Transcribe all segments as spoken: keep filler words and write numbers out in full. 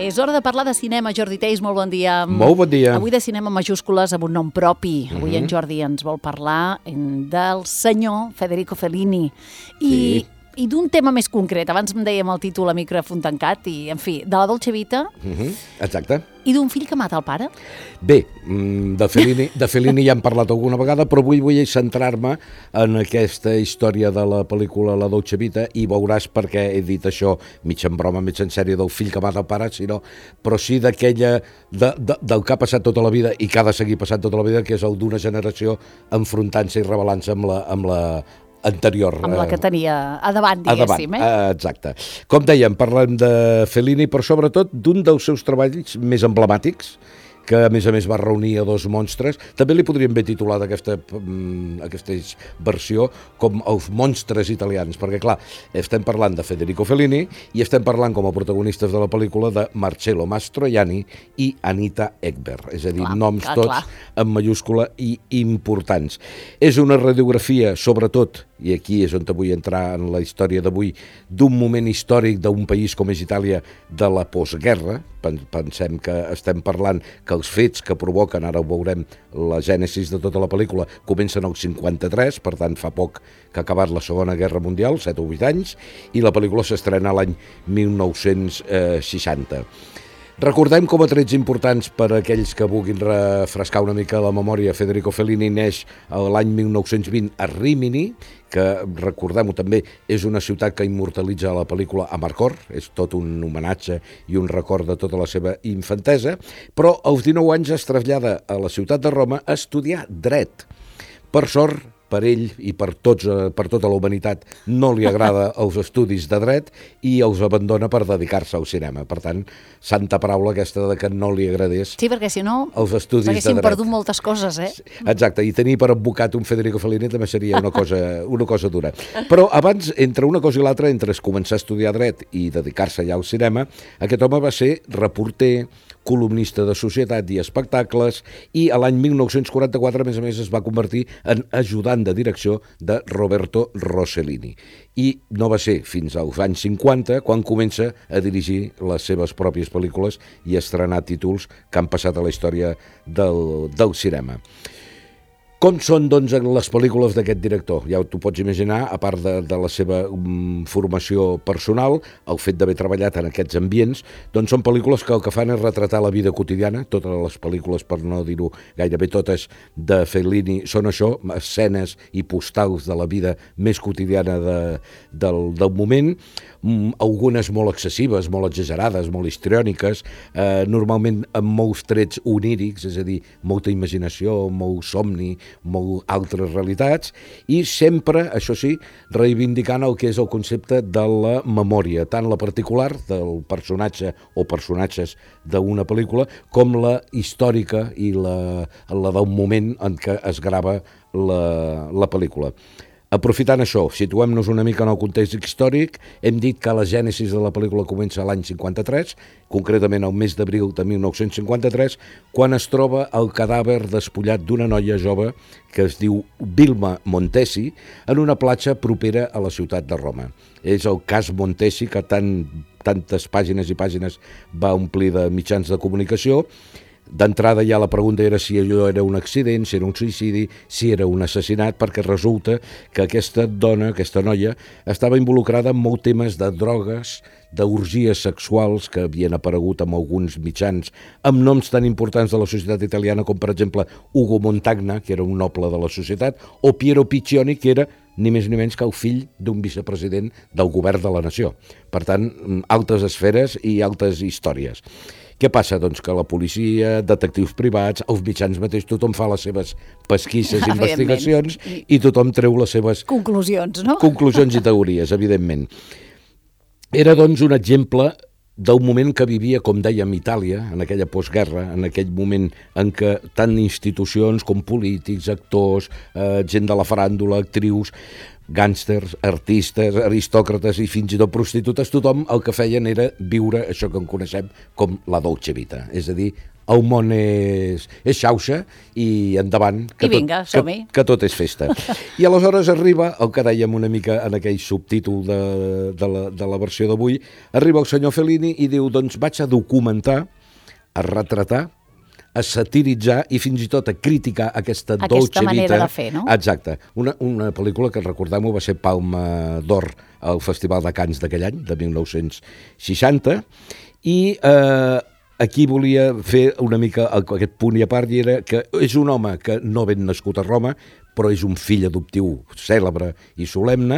És hora de parlar de cinema. Jordi Teis, molt bon dia. Molt bon dia. Avui de cinema majúscules amb un nom propi. Avui Mhm. en Jordi ens vol parlar del senyor Federico Fellini. I, Sí. i d'un tema més concret. Abans em dèiem el títol a micròfon tancat i, en fi, de la Dolce Vita Mhm, Exacte. i d'un fill que mata el pare. Bé, mm, de Fellini, de Fellini ja hem parlat alguna vegada, però avui vull centrar-me en aquesta història de la pel·lícula La Dolce Vita i veuràs per què he dit això, mig en broma, mig en sèrie, del fill que mata el pare, sinó, però sí d'aquella, de, de, del que ha passat tota la vida i que ha de seguir passant tota la vida, que és el d'una generació enfrontant-se i rebel·lant-se amb la, amb la anterior. Amb la que tenia a davant, A diguéssim. davant, Eh? exacte. Com dèiem, parlem de Fellini, però sobretot d'un dels seus treballs més emblemàtics, que a més a més va reunir a dos monstres. També li podríem haver titulat aquesta, mm, aquesta versió com els monstres italians, perquè clar, estem parlant de Federico Fellini i estem parlant com a protagonistes de la pel·lícula de Marcello Mastroianni i Anita Ekberg, és a dir, Clar, noms clar, tots clar. en mayúscula i importants. És una radiografia, sobretot, i aquí és on vull entrar en la història d'avui, d'un moment històric d'un país com és Itàlia de la postguerra. Pensem que estem parlant que els fets que provoquen, ara ho veurem, la gènesis de tota la pel·lícula, comencen al cinquanta-tres, per tant fa poc que ha acabat la Segona Guerra Mundial, set o vuit anys, i la pel·lícula s'estrena l'any mil nou-cents seixanta. Recordem com a trets importants per a aquells que vulguin refrescar una mica la memòria. Federico Fellini neix l'any mil nou-cents vint a Rímini, que, recordem-ho també, és una ciutat que immortalitza la pel·lícula Amarcord, és tot un homenatge i un record de tota la seva infantesa, però als dinou anys es trasllada a la ciutat de Roma a estudiar dret. Per sort, per ell i per, tots, per tota la humanitat no li agrada els estudis de dret i els abandona per dedicar-se al cinema. Per tant, santa paraula aquesta de que no li agradés Sí, perquè si no els estudis de s'haguessin dret. perdut moltes coses, eh? Exacte, i tenir per advocat un Federico Fellini també seria una cosa, una cosa dura. Però abans, entre una cosa i l'altra, entre començar a estudiar dret i dedicar-se ja al cinema, aquest home va ser reporter, columnista de societat i espectacles, i a l'any mil nou-cents quaranta-quatre, a més a més, es va convertir en ajudant de direcció de Roberto Rossellini. I no va ser fins als anys cinquanta quan comença a dirigir les seves pròpies pel·lícules i a estrenar títols que han passat a la història del, del cinema. Com són, doncs, les pel·lícules d'aquest director? Ja t'ho pots imaginar, a part de, de la seva um, formació personal, el fet d'haver treballat en aquests ambients, doncs són pel·lícules que el que fan és retratar la vida quotidiana. Totes les pel·lícules, per no dir-ho gairebé totes, de Fellini són això, escenes i postals de la vida més quotidiana de, del, del moment, um, algunes molt excessives, molt exagerades, molt histriòniques, eh, normalment amb molts trets onírics, és a dir, molta imaginació, molt somni, molt altres realitats, i sempre, això sí, reivindicant el que és el concepte de la memòria, tant la particular del personatge o personatges d'una pel·lícula, com la històrica i la, la del moment en què es grava la, la pel·lícula. Aprofitant això, situem-nos una mica en el context històric, hem dit que la gènesis de la pel·lícula comença l'any cinquanta-tres, concretament el mes d'abril de mil nou-cents cinquanta-tres, quan es troba el cadàver despullat d'una noia jove que es diu Vilma Montesi en una platja propera a la ciutat de Roma. És el cas Montesi que tant, tantes pàgines i pàgines va omplir de mitjans de comunicació. D'entrada ja la pregunta era si allò era un accident, si era un suïcidi, si era un assassinat, perquè resulta que aquesta dona, aquesta noia, estava involucrada en molts temes de drogues, d'orgies sexuals que havien aparegut en alguns mitjans amb noms tan importants de la societat italiana com, per exemple, Ugo Montagna, que era un noble de la societat, o Piero Piccioni, que era ni més ni menys que el fill d'un vicepresident del govern de la nació. Per tant, altes esferes i altes històries. Què passa? Doncs que la policia, detectius privats, els mitjans mateix, tothom fa les seves pesquisses, investigacions i tothom treu les seves conclusions, no? conclusions i teories, evidentment. Era, doncs, un exemple del moment que vivia, com dèiem, Itàlia, en aquella postguerra, en aquell moment en què tant institucions com polítics, actors, eh, gent de la faràndula, actrius, gàngsters, artistes, aristòcrates i fins i tot prostitutes, tothom el que feien era viure això que en coneixem com la Dolce Vita, és a dir, el món és, és xauxa i endavant, que, I vinga, tot, que, que tot és festa. I aleshores arriba, el que dèiem una mica en aquell subtítol de, de, la, de la versió d'avui, arriba el senyor Fellini i diu, doncs vaig a documentar, a retratar, a satiritzar i fins i tot a criticar aquesta, aquesta dolce manera vita. de fer, no? Exacte. Una, una pel·lícula que, recordem-ho, va ser Palma d'Or al Festival de Cannes d'aquell any, de mil nou-cents seixanta, i eh, aquí volia fer una mica aquest punt i a part, i era que és un home que no ben nascut a Roma, però és un fill adoptiu cèlebre i solemne,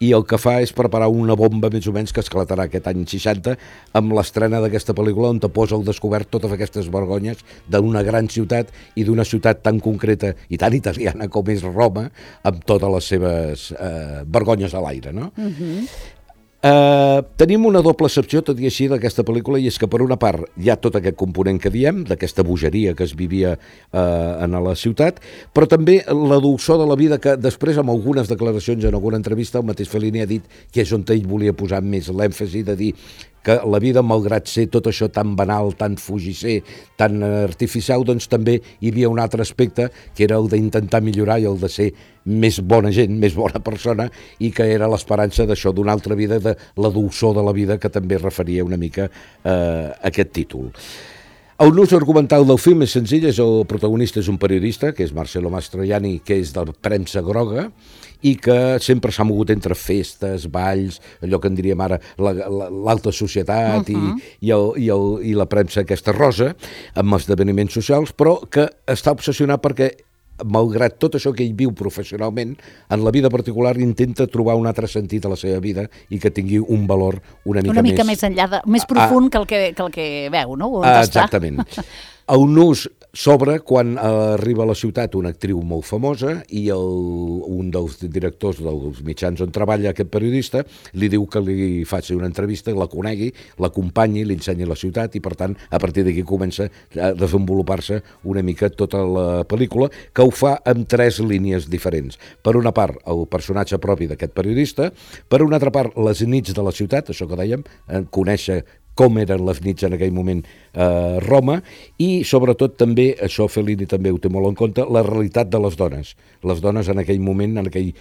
i el que fa és preparar una bomba més o menys que esclatarà aquest any seixanta amb l'estrena d'aquesta pel·lícula on te posa al descobert totes aquestes vergonyes d'una gran ciutat i d'una ciutat tan concreta i tan italiana com és Roma, amb totes les seves eh, vergonyes a l'aire, no? Uh-huh. Uh, tenim una doble excepció, tot i així, d'aquesta pel·lícula, i és que per una part hi ha tot aquest component que diem, d'aquesta bogeria que es vivia uh, en la ciutat, però també la dolçor de la vida que després, amb algunes declaracions en alguna entrevista, el mateix Fellini ha dit que és on ell volia posar més l'èmfasi de dir que la vida, malgrat ser tot això tan banal, tan fugisser, tan artificial, doncs també hi havia un altre aspecte, que era el d'intentar millorar i el de ser més bona gent, més bona persona, i que era l'esperança d'això, d'una altra vida, de la dolçor de la vida, que també referia una mica eh, a aquest títol. El nus argumental del film és senzill, és el protagonista és un periodista, que és Marcello Mastroianni, que és de la premsa groga, i que sempre s'ha mogut entre festes, balls, allò que en diríem ara l'alta societat uh-huh. i, i, el, i, el, i la premsa aquesta rosa, amb esdeveniments socials, però que està obsessionat perquè, malgrat tot això que ell viu professionalment, en la vida particular intenta trobar un altre sentit a la seva vida i que tingui un valor una mica, una mica més... més enllà, de, més profund ah, que, el que, que el que veu, no? On ah, exactament. El nus s'obre quan arriba a la ciutat una actriu molt famosa i el, un dels directors dels mitjans on treballa aquest periodista li diu que li faci una entrevista, la conegui, l'acompanyi, li ensenyi la ciutat i, per tant, a partir d'aquí comença a desenvolupar-se una mica tota la pel·lícula, que ho fa amb tres línies diferents. Per una part, el personatge propi d'aquest periodista, per una altra part, les nits de la ciutat, això que dèiem, conèixer com eren les nits en aquell moment a eh, Roma, i sobretot també, això Fellini també ho té molt en compte, la realitat de les dones. Les dones en aquell moment, en aquell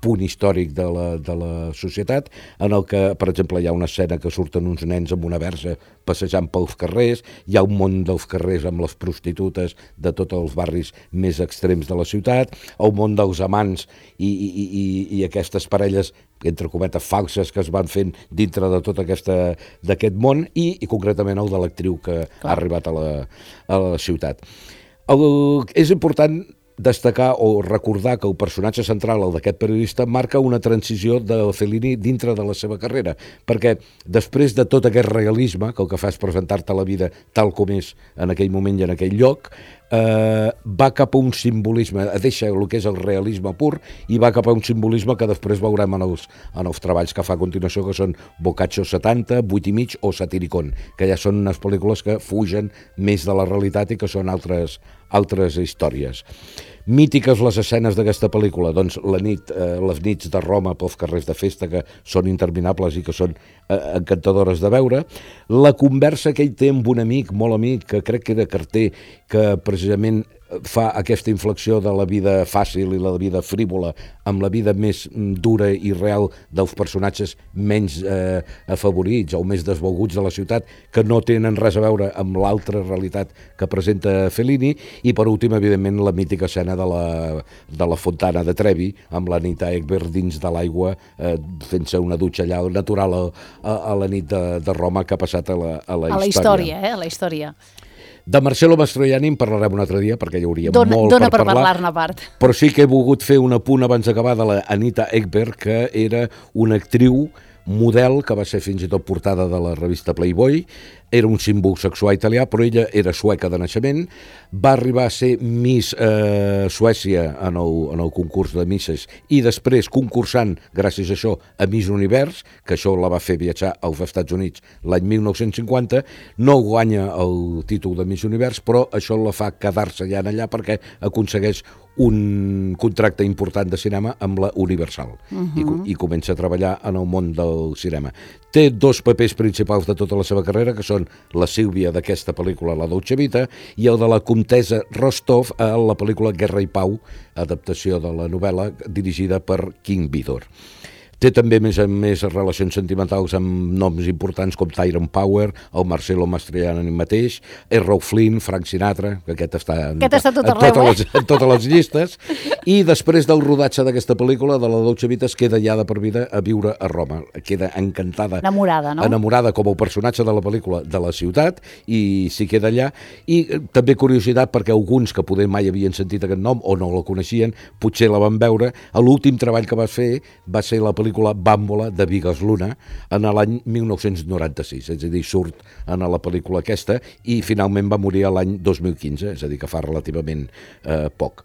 punt històric de la, de la societat, en el que, per exemple, hi ha una escena que surten uns nens amb una versa passejant pels carrers, hi ha un món dels carrers amb les prostitutes de tots els barris més extrems de la ciutat, el món dels amants i, i, i, i aquestes parelles entre cometes falses que es van fent dintre de tot aquesta d'aquest món i, i concretament el de l'actriu que Clar. ha arribat a la, a la ciutat. El, és important destacar o recordar que el personatge central, el d'aquest periodista, marca una transició de Fellini dintre de la seva carrera, perquè després de tot aquest realisme, que el que fa és presentar-te la vida tal com és en aquell moment i en aquell lloc, eh, va cap a un simbolisme, deixa el que és el realisme pur i va cap a un simbolisme que després veurem en els, en els treballs que fa a continuació, que són Boccaccio setanta, vuit i mig o Satiricon, que ja són unes pel·lícules que fugen més de la realitat i que són altres, altres històries. Mítiques les escenes d'aquesta pel·lícula, doncs la nit, eh, les nits de Roma pels carrers de festa, que són interminables i que són eh, encantadores de veure, la conversa que ell té amb un amic, molt amic, que crec que era carter, que precisament fa aquesta inflexió de la vida fàcil i la vida frívola amb la vida més dura i real dels personatges menys eh, afavorits o més desvalguts de la ciutat, que no tenen res a veure amb l'altra realitat que presenta Fellini, i per últim, evidentment, la mítica escena de la, de la fontana de Trevi, amb l'Anita Ekberg dins de l'aigua, eh, fent-se una dutxa allà natural a, a, a la nit de, de Roma, que ha passat a la, a la a història. la història, eh? A la història. De Marcello Mastroianni en parlarem un altre dia, perquè hi hauria dona, molt dona per, per parlar. parlar-ne a part. Però sí que he volgut fer un apunt abans d'acabar de la Anita Ekberg, que era una actriu model que va ser fins i tot portada de la revista Playboy, era un símbol sexual italià, però ella era sueca de naixement, va arribar a ser Miss eh, Suècia en el, en el concurs de Misses i després concursant, gràcies a això, a Miss Univers, que això la va fer viatjar als Estats Units l'any mil nou-cents cinquanta, no guanya el títol de Miss Univers, però això la fa quedar-se allà en allà perquè aconsegueix un contracte important de cinema amb la Universal uh-huh. i, i comença a treballar en el món del cinema. Té dos papers principals de tota la seva carrera, que són la Sílvia d'aquesta pel·lícula, La Dolce Vita, i el de la comtessa Rostov a la pel·lícula Guerra i Pau, adaptació de la novel·la dirigida per King Vidor. Té també, més a més, relacions sentimentals amb noms importants com Tyrone Power, el Marcelo Mastroianni mateix, Errol Flynn, Frank Sinatra, que aquest està en, aquest està tot en, arreu, totes eh? les, en totes les llistes, i després del rodatge d'aquesta pel·lícula, de la Dolce Vita, es queda ja de per vida a viure a Roma. Queda encantada. Enamorada, no? Enamorada com el personatge de la pel·lícula de la ciutat, i s'hi queda allà. I eh, també curiositat, perquè alguns que poder mai havien sentit aquest nom o no la coneixien, potser la van veure. L'últim treball que va fer va ser la pel·lícula Bàmbola de Vigas Luna en l'any mil nou-cents noranta-sis, és a dir, surt en la pel·lícula aquesta i finalment va morir l'any dos mil quinze, és a dir, que fa relativament eh, poc.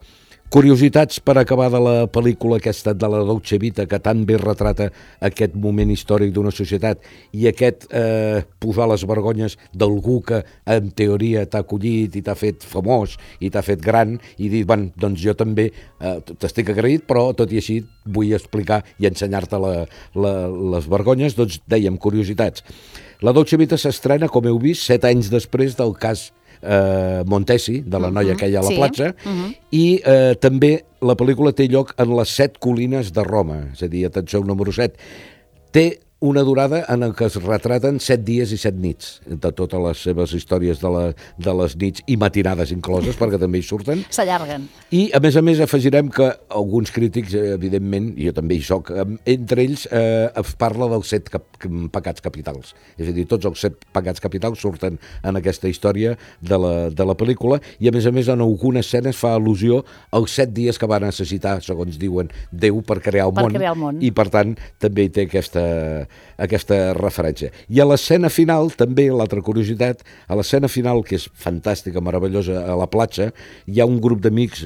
Curiositats per acabar de la pel·lícula aquesta de la Dolce Vita, que tan bé retrata aquest moment històric d'una societat i aquest eh, posar les vergonyes d'algú que en teoria t'ha acollit i t'ha fet famós i t'ha fet gran i dir, bueno, doncs jo també eh, t'estic agraït, però tot i així vull explicar i ensenyar-te la, la, les vergonyes. Doncs dèiem, curiositats. La Dolce Vita s'estrena, com heu vist, set anys després del cas Eh, Montesi, de la noia uh-huh. que hi ha a la sí. platja, uh-huh. i eh, també la pel·lícula té lloc en les set colines de Roma, és a dir, atenció, el número set. Té una durada en el que es retraten set dies i set nits, de totes les seves històries de, la, de les nits i matinades incloses, perquè també hi surten. S'allarguen. I, a més a més, afegirem que alguns crítics, evidentment, i jo també hi soc, entre ells eh, es parla dels set cap, pecats capitals. És a dir, tots els set pecats capitals surten en aquesta història de la, de la pel·lícula, i a més a més en algunes escenes fa al·lusió als set dies que va necessitar, segons diuen, Déu per crear el, per món, crear el món, i per tant també hi té aquesta aquesta referència. I a l'escena final, també, l'altra curiositat, a l'escena final, que és fantàstica, meravellosa, a la platja, hi ha un grup d'amics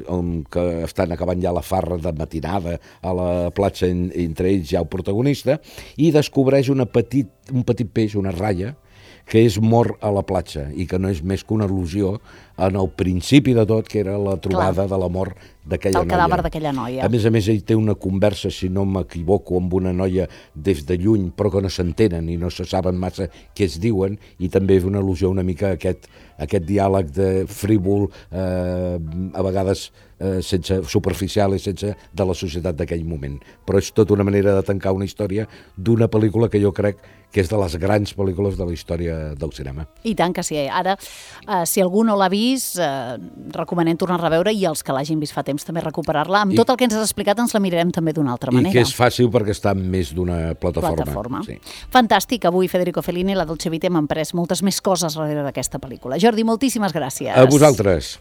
que estan acabant ja la farra de matinada a la platja, entre ells hi ha el protagonista, i descobreix una petit, un petit peix, una ratlla, que és mort a la platja i que no és més que una al·lusió en el principi de tot, que era la trobada Clar. de la mort d'aquella noia. El cadàver d'aquella noia. A més a més, ell té una conversa, si no m'equivoco, amb una noia des de lluny, però que no s'entenen i no se saben massa què es diuen, i també és una al·lusió una mica a aquest, aquest diàleg de frívol, eh, a vegades eh, sense superficial i sense de la societat d'aquell moment. Però és tota una manera de tancar una història d'una pel·lícula que jo crec que és de les grans pel·lícules de la història del cinema. I tant que sí. Ara, eh, si algú no l'ha vist, eh, recomanem tornar a reveure, i els que l'hagin vist fa temps també recuperar-la. Amb I, tot el que ens has explicat ens la mirarem també d'una altra manera. I que és fàcil perquè està en més d'una plataforma. plataforma. Sí. Fantàstic. Avui Federico Fellini, La Dolce Vita, hem emprès moltes més coses darrere d'aquesta pel·lícula. Jordi, moltíssimes gràcies. A vosaltres.